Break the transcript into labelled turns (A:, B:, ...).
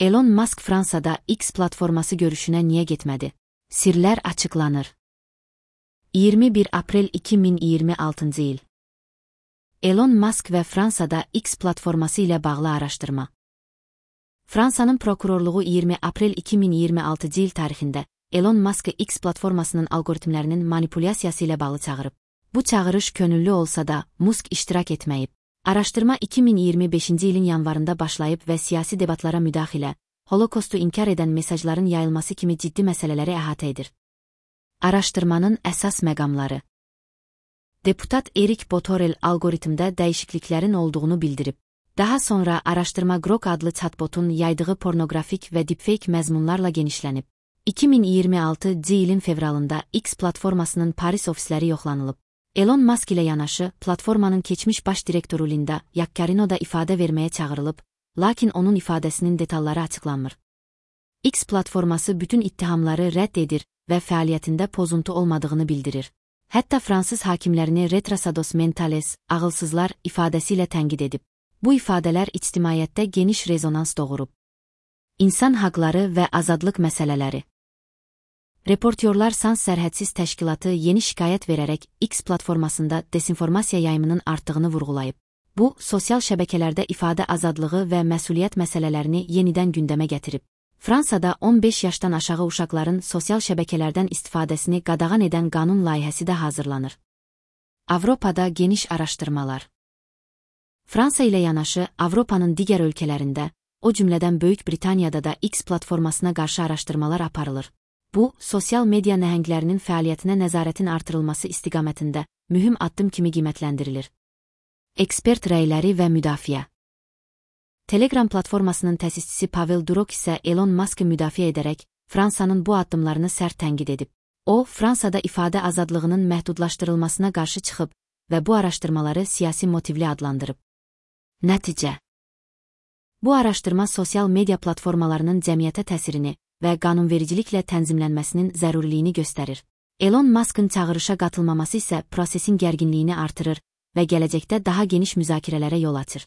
A: Elon Musk Fransada X platforması görüşünə niyə getmədi? Sirlər açıqlanır. 21 aprel 2026 il. Elon Musk və Fransada X platforması ilə bağlı araşdırma. Fransanın prokurorluğu 20 aprel 2026 il tarixində Elon Musk'ı X platformasının algoritmlərinin manipulyasiyası ilə bağlı çağırıb. Bu çağırış könüllü olsa da Musk iştirak etməyib. Araşdırma 2025 ilin yanvarında başlayıb və siyasi debatlara müdaxilə, Holokostu inkar edən mesajların yayılması kimi ciddi məsələləri əhatə edir. Araşdırmanın əsas məqamları. Deputat Erik Botorel algoritmdə dəyişikliklərin olduğunu bildirib. Daha sonra araşdırma Grok adlı chatbotun yaydığı pornoqrafik və deepfake məzmunlarla genişlənib. 2026 ilin fevralında X platformasının Paris ofisləri yoxlanılıb. Elon Musk ilə yanaşı platformanın keçmiş baş direktoru Linda Yaccarino da ifadə verməyə çağırılıb, lakin onun ifadəsinin detalları açıqlanmır. X platforması bütün ittihamları rədd edir və fəaliyyətində pozuntu olmadığını bildirir. Hətta fransız hakimlərini retrasados mentales, ağılsızlar ifadəsi ilə tənqid edib. Bu ifadələr ictimaiyyətdə geniş rezonans doğurub. İnsan haqları və azadlıq məsələləri. Reportyorlar Sans Sərhədsiz Təşkilatı yeni şikayət verərək X platformasında desinformasiya yayımının artdığını vurğulayıb. Bu, sosial şəbəkələrdə ifadə azadlığı və məsuliyyət məsələlərini yenidən gündəmə gətirib. Fransada 15 yaşdan aşağı uşaqların sosial şəbəkələrdən istifadəsini qadağan edən qanun layihəsi də hazırlanır. Avropada geniş araşdırmalar. Fransa ilə yanaşı Avropanın digər ölkələrində, o cümlədən Böyük Britaniyada da X platformasına qarşı araşdırmalar aparılır. Bu, sosial media nəhənglərinin fəaliyyətinə nəzarətin artırılması istiqamətində mühüm addım kimi qiymətləndirilir. Ekspert rəyləri və müdafiə. Telegram platformasının təsisçisi Pavel Durov isə Elon Musk'ı müdafiə edərək Fransanın bu addımlarını sərt tənqid edib. O, Fransada ifadə azadlığının məhdudlaşdırılmasına qarşı çıxıb və bu araşdırmaları siyasi motivli adlandırıb. Nəticə. Bu araşdırma sosial media platformalarının cəmiyyətə təsirini və qanunvericiliklə tənzimlənməsinin zəruriliyini göstərir. Elon Musk'ın çağırışa qatılmaması isə prosesin gərginliyini artırır və gələcəkdə daha geniş müzakirələrə yol açır.